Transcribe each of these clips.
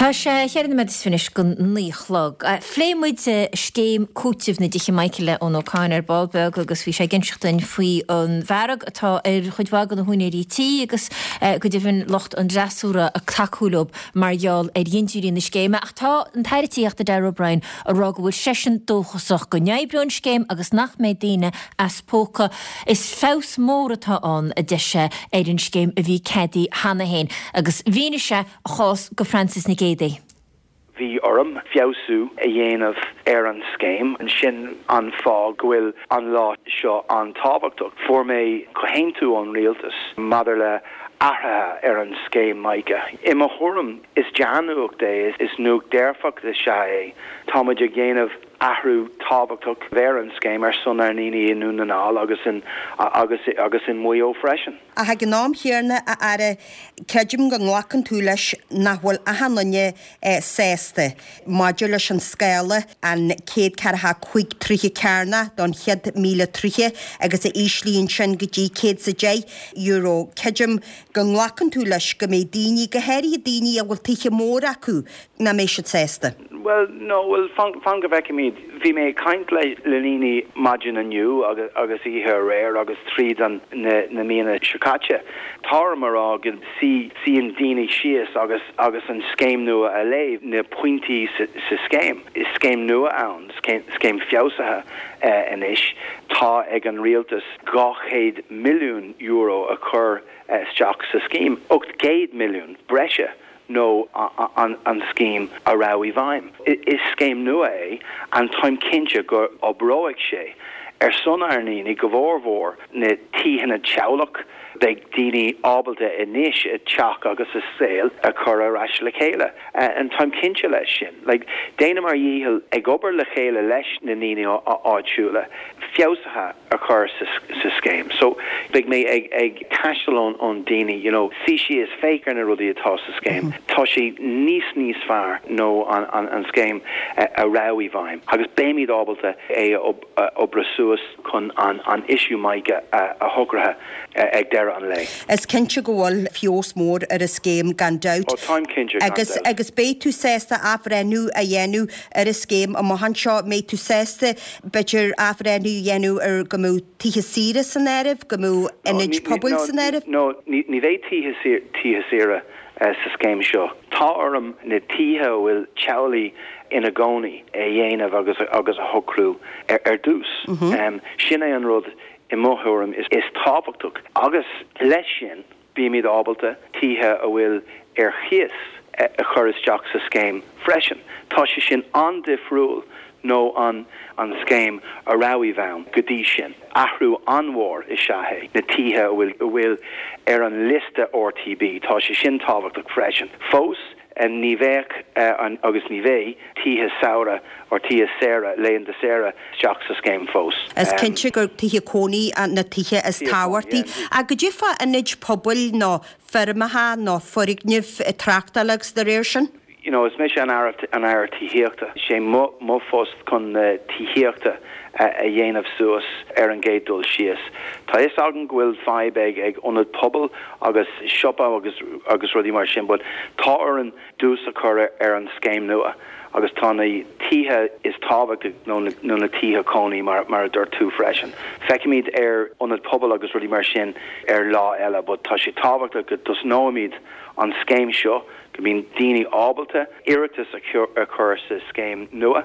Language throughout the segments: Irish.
Tá sé cheithre nóiméad is fiche anois don 9 a chlog. Phléigh muid scéim cúitimh na dtithe mica le Eoin Ó Cadhain ar ball beag agus bhí sé ag inseacht dúinn faoi an bhfearg atá ar chuid mhaith de na húinéirí tí agus go deimhin lucht an fhreasúra ag tacú leo mar gheall ar dhintiúirí na scéime. Ach tá an tAire Tithíochta Darragh O'Brien ag rá go bhfuil seisean dóchasach go n-oibreoidh an scéim agus nach mbeidh daoine as póca. Is feabhas mór atá ann, a deir sé, ar an scéim a bhí ceadaithe cheana féin agus mhínigh sé a chás do Frances Nic Géadaigh. Bhí orm feabhsú a dhéanamh ar an scéim, sin an fáth go bhfuil an lá seo an-tábhachtach. Fuair mé comhaontú ón Rialtas maidir le athruithe ar an scéim MICA. I mo thuairim, is dea-nuacht é, is nuacht dearfach is ea é. Táimid ag déanamh athrú tábhachtach ar an scéim ar son ár ndaoine i nDún na nGall agus in agus agus in Maigh Eo freisin. Ach ag an am chéanna, a Aire, creidim go nglacann tú leis nach bhfuil achan duine sásta maidir leis an scála, an 145 troithe cearnach don chéad 1,000 troithe agus a íslíonn sin go dtí €110. Creidim go nglacann tú leis go mbeidh daoine, go háirithe daoine a bhfuil tithe móra acu, nach mbeidh siad sásta. Bhuel, no, bhuel, fan, fan go bhfeicfimid. Bhí mé ag caint le, le daoine maidin inniu agus, agus oíche aréir agus tríd an, na, na míonna seo caite. Tá orm a rá go suí, suíonn daoine síos agus, agus an scéim nua a léamh, na pointí sa, sa scéim. Is scéim nua ann, scéim, scéim feabhsaithe anois. Tá ag an rialtas €200 milliún a chur isteach sa scéim, 800 milliún breise nó an scéim a raibh i bhfeidhm. Is scéim nua é and táim cinnte go oibreoidh sé ar son ár ndaoine, go mhór mhór na tithe teaghlach. Beidh daoine ábalta anois a teach agus a saol a chur ar ais le chéile and táim cinnte leis sin. Like, déanaim ár dhícheall ag obair le chéile leis na ndaoine áitiúla feabhsuithe a chur sa scéim. So, beidh mé ag ag taisteal ón ón daoine, you know, suí síos, féach ar na rudaí atá sa scéim. Tá sé níos níos fearr nó an an an scéim a raibh i bhfeidhm agus beimid ábalta é a oibriú suas chun an an issue MICA a a shocraithe ag deireadh an lae. Is cinnte go bhfuil feabhas mór ar an scéim gan dabht. Ó táim cinnte, gan Agus dabht. agus beidh tú sásta athbhreithniú a dhéanamh ar an scéim amach anseo, mbeidh tú sásta b'fhéidir athbhreithniú a dhéanamh ar go mbeadh tithe saoire san áireamh, go mbeadh ionaid pobail san áireamh? No, ní bheidh tithe saoire sa scéim seo. Tá orm na tithe a bhfuil teaghlaigh ina gcónaí a dhéanamh agus agus a shocrú ar dtús. Sin é an rud i mo thuairim is tábhachtach agus leis sin, Bímid ábalta tithe a bhfuil ar chíos a chur isteach sa scéim freisin. Tá sé sin an-difriúil nó an an scéim a raibh i bhfeidhm go dtí sin. Athrú an-mhór is ea é. Na tithe a bhfuil a bhfuil ar an liosta RTB, tá sé sin tábhachtach freisin. Fós. Ní bheadh agus ní bheidh tithe samhraidh or tithe saora, laethanta saoire isteach sa scéim fós. Is cinnte gur tithe cónaí na tithe is tábhachtaí. Ach goidé fá ionaid pobail nó feirmeacha nó foirgnimh tráchtála agus dá réir sin? You know, is mise an Aire an Aire Tithíochta. Is é mo mo phost chun na tithíochta a dhéanamh suas ar an gcéad dul síos. Tá fhios agam go bhfuil fadhb ag ag ionad pobail agus siopa agus agus rudaí mar sin but tá orainn dtús a chur ar an scéim nua agus tá na tithe is tábhachtaí nó nó na tithe cónaí mar mar a dúirt tú freisin. Feicfimid ar ionad pobail agus rudaí mar sin ar lá eile but tá sé tábhachtach go dtosnóimid an scéim seo go mbíonn daoine ábalta iarratas a chur sa scéim nua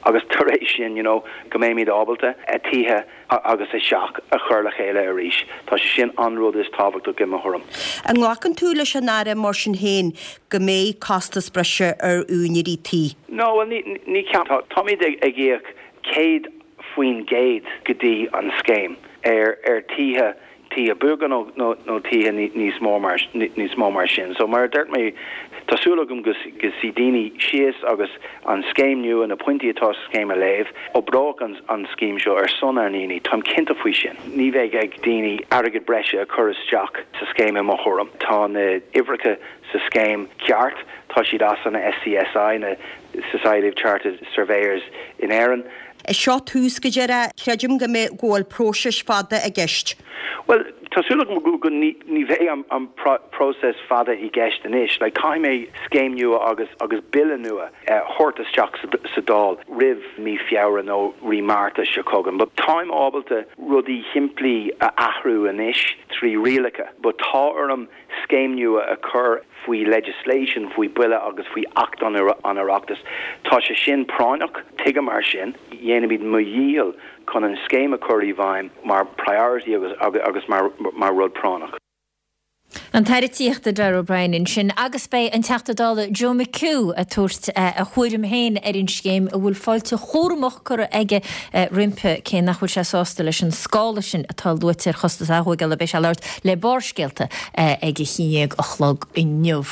agus tar éis sin you know go mbeimid ábalta a tithe agus a dteach a chur le chéile arís. Tá sé sin an rud is tábhachtach i mo thuairim. An nglacann tú leis an Aire mar sin féin go mbeidh costas breise ar úinéirí tí? No, bhuel ní, ní ceapaim. Táimid ag íoc 100% go dtí an scéim ar ar tithe tithe beaga nó nó tithe níos mó mar níos mó mar sin. So mar a dúirt mé, tá súil agam go go suí daoine síos agus an scéim nua, na pointí atá sa scéim a léamh. Oibreoidh an an scéim seo ar son ár ndaoine, táim cinnte faoi sin. Ní bheidh ag daoine airgead breise a chur isteach sa scéim i mo thuairim. Tá na uimhreacha sa scéim ceart, tá siad as an SCSI, na Society of Chartered Surveyors in Éirinn. Is seo tús go deireadh. Creidim go mbeidh, go bhfuil próiseas fada i gceist. Bhuel, tá súil agam go ní bheidh an próiseas fada i gceist anois. Like, caithfidh mé scéim nua agus agus bille nua a thabhairt isteach sa Dáil roimh mí Feabhra nó mí Márta seo chugainn. But táim ábalta rudaí simplí a athrú anois trí rialacha, but tá orm scéim nua a chur faoi legislation, faoi bille agus faoi Acht an Oireachtais. Tá sé sin práinneach, tuigim mar sin dhéanfaidh mé mo dhícheall chun an scéim a chur i bhfeidhm mar priority agus agus mar mar rud práinneach. An tAire Tithíochta Darragh O'Brien ansin agus beidh an Teachta Dála Joe McHugh ag tabhairt a thuairim féin ar an scéim a bhfuil fáilte chúramach curtha aige roimpi cé nach bhfuil sé sásta leis an scála sin atá luaite ar chostas aththógála. Beidh sé ag labhairt le Barrscéalta ag a haon déag a chlog inniu.